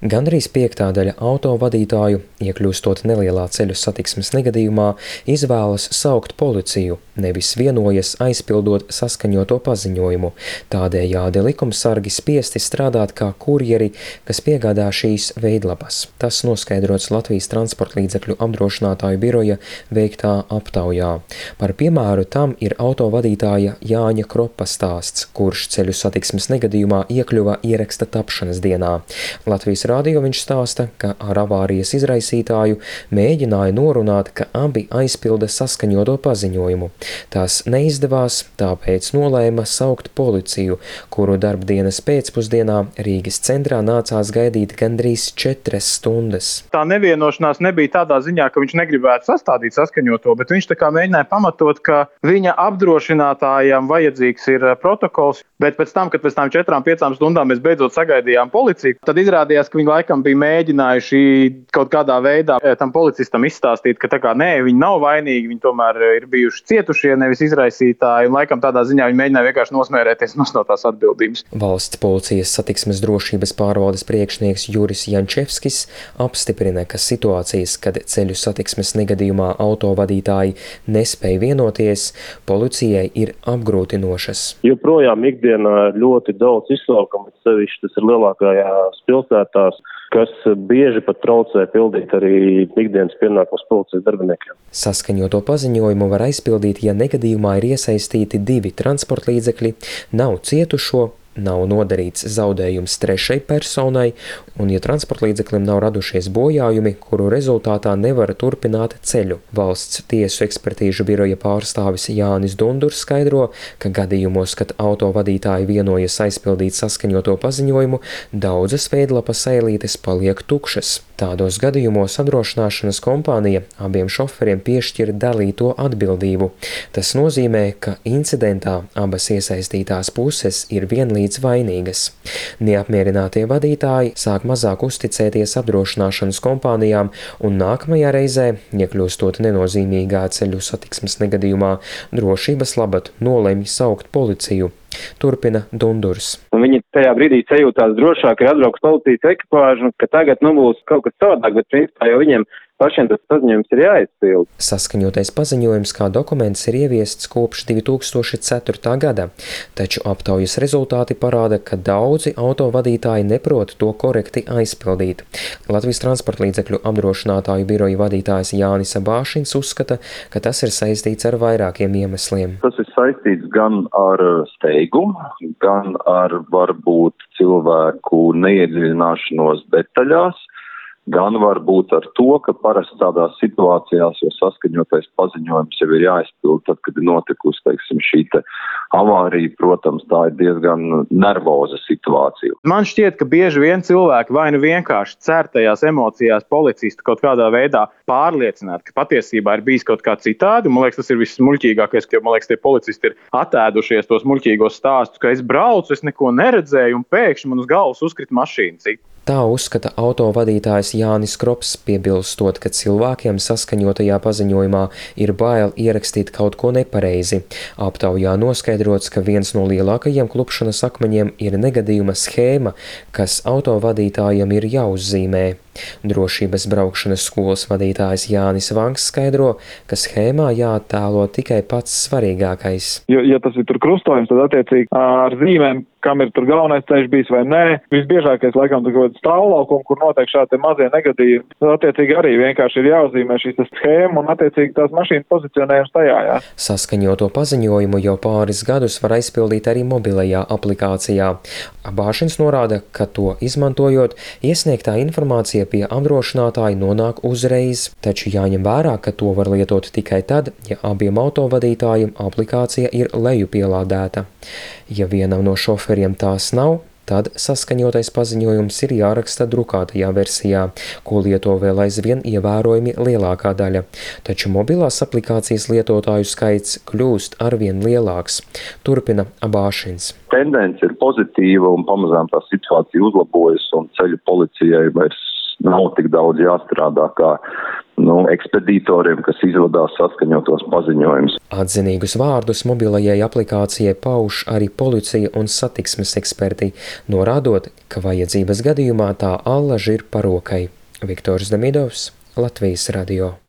Gandrīz piektadaļa autovadītāju, iekļūstot nelielā ceļu satiksmes negadījumā, izvēlas saukt policiju, nevis vienojas aizpildot saskaņoto paziņojumu. Tādējādi likumsargi spiesti strādāt kā kurjeri, kas piegādā šīs veidlapas. Tas noskaidrots Latvijas transporta līdzekļu apdrošinātāju biroja veiktā aptaujā. Par piemēru tam ir autovadītāja Jāņa Kropa stāsts, kurš ceļu satiksmes negadījumā iekļuva ieraksta tapšanas dienā. Latvijas rādio viņš stāsta, ka ar avārijas izraisītāju mēģināja norunāt, ka abi aizpilda saskaņoto paziņojumu. Tas neizdevās, tāpēc nolēma saukt policiju, kuru darbdienas pēcpusdienā Rīgas centrā nācās gaidīt gandrīz 4 stundas. Tā nevienošanās nebija tādā ziņā, ka viņš negribētu sastādīt saskaņoto, bet viņš tā kā mēģināja pamatot, ka viņa apdrošinātājam vajadzīgs ir protokols, bet pēc tam, kad pēc tām 4-5 stundām mēs beidzot sagaidījām policiju, tad izrādījās, ka viņi laikam bija mēģinājuši kaut kādā veidā tam policistam izstāstīt, ka tā kā nē, viņi nav vainīgi, viņi tomēr ir bijuši cietušie, nevis izraisītāji, un laikam tādā ziņā viņi mēģināja vienkārši nosmērēties no tās atbildības. Valsts policijas satiksmes drošības pārvaldes priekšnieks Juris Jančevskis apstiprina, ka situācijas, kad ceļu satiksmes negadījumā autovadītāji nespēja vienoties, policijai ir apgrūtinošas. Joprojām ikdienā ļoti daudz izsaukumu, sevišķi tas ir lielākajās pilsētās, kas bieži pat traucē pildīt arī ikdienas pienākumus policijas darbiniekiem. Saskaņoto paziņojumu var aizpildīt, ja negadījumā ir iesaistīti 2 transporta līdzekļi, nav cietušo, nav nodarīts zaudējums trešai personai, un ja transporta līdzeklim nav radušies bojājumi, kuru rezultātā nevar turpināt ceļu. Valsts tiesu ekspertīžu biroja pārstāvis Jānis Dundurs skaidro, ka gadījumos, kad autovadītāji vienojas aizpildīt saskaņoto paziņojumu, daudzas veidlapas eilītes paliek tukšas. Tādos gadījumos apdrošināšanas kompānija abiem šoferiem piešķir dalīto atbildību. Tas nozīmē, ka incidentā abas iesaistītās puses ir vienlīdz vainīgas. Neapmierinātie vadītāji sāk mazāk uzticēties apdrošināšanas kompānijām un nākamajā reizē, iekļūstot nenozīmīgā ceļu satiksmes negadījumā, drošības labad nolemj saukt policiju. Turpina Dundurs. Viņi tajā brīdī sajūtās drošāk, ka atbrauks policijas ekipāžu, ka tagad būs kaut kas savādāk, bet principā jau viņiem pašiem tas paziņojums ir jāizpild. Saskaņotais paziņojums kā dokuments ir ieviests kopš 2004. gada, taču aptaujas rezultāti parāda, ka daudzi autovadītāji neprot to korekti aizpildīt. Latvijas transporta līdzekļu apdrošinātāju biroja vadītājs Jānis Abāšins uzskata, ka tas ir saistīts ar vairākiem iemesliem. Tas ir saistīts gan ar steigumu, gan ar varbūt cilvēku neiedziļināšanos detaļās, gan varbūt ar to, ka parasti tādās situācijās, jo saskaņotais paziņojums jau ir jāizpild, tad, kad ir notikusi, teiksim, šī avārija, protams, tā ir diezgan nervoza situācija. Man šķiet, ka bieži vien cilvēki vai nu vienkārši cer tajās emocijās policistu kaut kādā veidā pārliecināt, ka patiesībā ir bijis kaut kā citādi. Man liekas, tas ir vismuļķīgākais, ka, man liekas, tie policisti ir atēdušies tos muļķīgos stāstus, ka es braucu, es neko neredzēju un pēkšņi man uz galvas uzkrita mašīna. Tā uzskata autovadītājs Jānis Krops, piebilstot, ka cilvēkiem saskaņotajā paziņojumā ir bail ierakstīt kaut ko nepareizi. Aptaujā noskaidrots, ka viens no lielākajiem klupšanas akmeņiem ir negadījuma schēma, kas autovadītājiem ir jāuzzīmē. Drošības braukšanas skolas vadītājs Jānis Vanks skaidro, ka schēmā jāattēlo tikai pats svarīgākais. Ja tas ir tur krustojums, tad attiecīgi ar zīmēm, kam ir tur galvenais ceļš bijis vai nē. Visbiežākais laikam tur kaut stāvlaukums, kur notiek šādi mazie negadījumi. Tad attiecīgi arī vienkārši ir jāuzzīmē šīs schēma un attiecīgi tās mašīnas pozicionējums tajā. Jā. Saskaņoto paziņojumu jau pāris gadus var aizpildīt arī mobilajā aplikācijā. Abāšins norāda, ka to izmantojot, iesniegtā informācija pie apdrošinātāja nonāk uzreiz, taču jāņem vērā, ka to var lietot tikai tad, ja abiem autovadītājiem aplikācija ir lejupielādēta. Ja vienam no šoferiem tās nav, tad saskaņotais paziņojums ir jāraksta drukātajā versijā, ko lieto vēl aizvien ievērojami lielākā daļa. Taču mobilās aplikācijas lietotāju skaits kļūst arvien lielāks. Turpina Abāšins. Tendence ir pozitīva un pamazām tā situācija uzlabojas un ceļu policijai vairs nav tik daudz jāstrādā, kā ekspedītoriem, kas izvadās saskaņotos paziņojumus. Atzinīgus vārdus mobilajai aplikācijai pauž arī policija un satiksmes eksperti, norādot, ka vajadzības gadījumā tā allaž ir par rokai. Viktors Damidovs, Latvijas radio.